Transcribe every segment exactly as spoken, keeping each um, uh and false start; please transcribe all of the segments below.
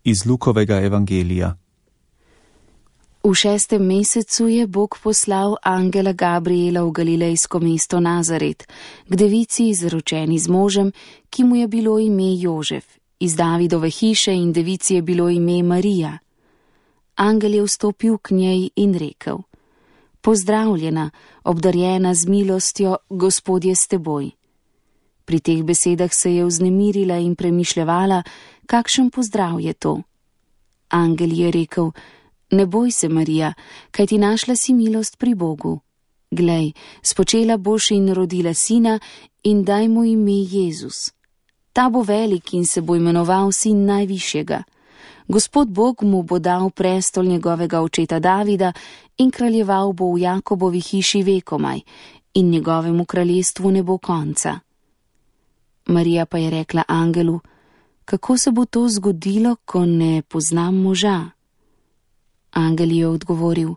Iz Lukovega evangelija. V šestem mesecu je Bog poslal angela Gabriela v galilejsko mesto Nazaret, k devici izročeni z možem, ki mu je bilo ime Jožef, iz Davidove hiše, in devici je bilo ime Marija. Angel je vstopil k njej in rekel: Pozdravljena, obdarjena z milostjo, Gospod je s teboj. Pri teh besedah se je vznemirila in premišljevala, kakšen pozdrav je to. Angel je rekel: Ne boj se, Marija, kajti našla si milost pri Bogu. Glej, spočela boš in rodila sina in daj mu ime Jezus. Ta bo velik in se bo imenoval sin najvišjega. Gospod Bog mu bo dal prestol njegovega očeta Davida in kraljeval bo v Jakobovi hiši vekomaj in njegovemu kraljestvu ne bo konca. Marija pa je rekla angelu: Kako se bo to zgodilo, ko ne poznam moža? Angel je odgovoril: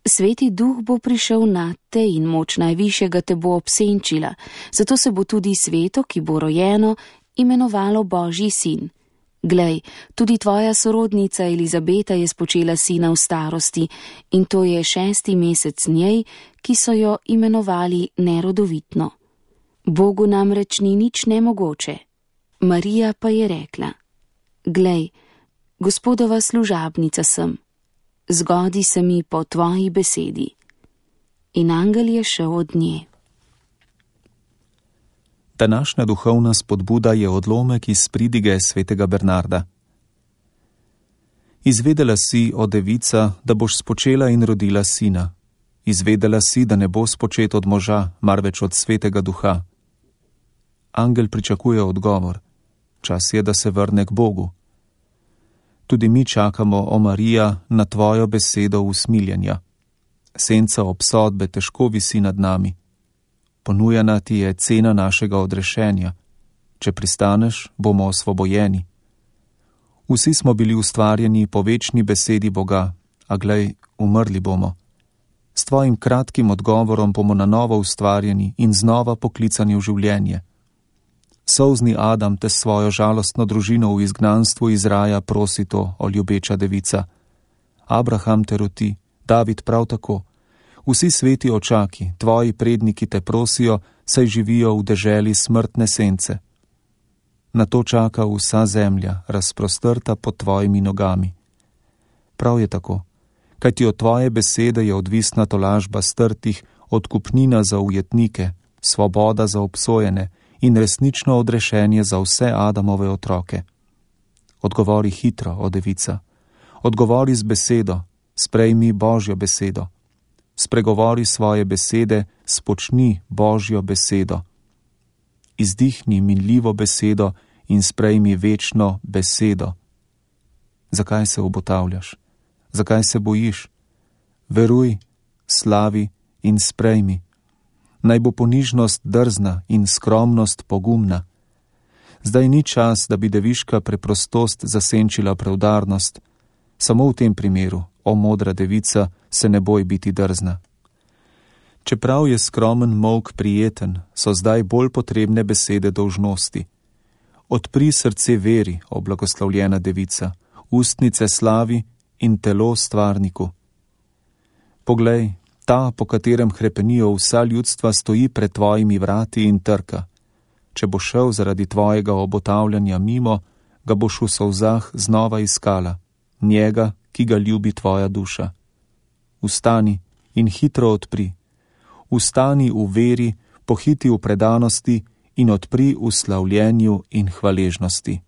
Sveti duh bo prišel nate in moč najvišjega te bo obsenčila, zato se bo tudi sveto, ki bo rojeno, imenovalo Božji sin. Glej, tudi tvoja sorodnica Elizabeta je spočela sina v starosti in to je šesti mesec njej, ki so jo imenovali nerodovitno. Bogu namreč ni nič nemogoče. Marija pa je rekla: Glej, Gospodova služabnica sem. Zgodi se mi po tvoji besedi. In angel je šel od nje. Današnja duhovna spodbuda je odlomek iz pridige svetega Bernarda. Izvedela si, o devica, da boš spočela in rodila sina. Izvedela si, da ne bo spočet od moža, marveč od svetega duha. Angel pričakuje odgovor. Čas je, da se vrne k Bogu. Tudi mi čakamo, o Marija, na tvojo besedo usmiljenja. Senca obsodbe težko visi nad nami. Ponujena ti je cena našega odrešenja. Če pristaneš, bomo osvobojeni. Vsi smo bili ustvarjeni po večni besedi Boga, a glej, umrli bomo. S tvojim kratkim odgovorom bomo na novo ustvarjeni in znova poklicani v življenje. Solzni Adam te svojo žalostno družino v izgnanstvu iz raja prosi to, o ljubeča devica. Abraham te roti, David prav tako. Vsi sveti očaki, tvoji predniki te prosijo, saj živijo v deželi smrtne sence. Na to čaka vsa zemlja, razprostrta pod tvojimi nogami. Prav je tako, kajti od tvoje besede je odvisna tolažba strtih, odkupnina za ujetnike, svoboda za obsojene in resnično odrešenje za vse Adamove otroke. Odgovori hitro, o devica. Odgovori z besedo, sprejmi Božjo besedo. Spregovori svoje besede, spočni Božjo besedo. Izdihni minljivo besedo in sprejmi večno besedo. Zakaj se obotavljaš? Zakaj se bojiš? Veruj, slavi in sprejmi. Naj bo ponižnost drzna in skromnost pogumna. Zdaj ni čas, da bi deviška preprostost zasenčila preudarnost. Samo v tem primeru, o modra devica, se ne boj biti drzna. Čeprav je skromen molk prijeten, so zdaj bolj potrebne besede dolžnosti. Odpri srce veri, o blagoslovljena devica, ustnice slavi in telo stvarniku. Poglej, ta, po katerem hrepenijo vsa ljudstva, stoji pred tvojimi vrati in trka. Če bo šel zaradi tvojega obotavljanja mimo, ga boš v solzah znova iskala, njega, ki ga ljubi tvoja duša. Vstani in hitro odpri. Vstani v veri, pohiti v predanosti in odpri v slavljenju in hvaležnosti.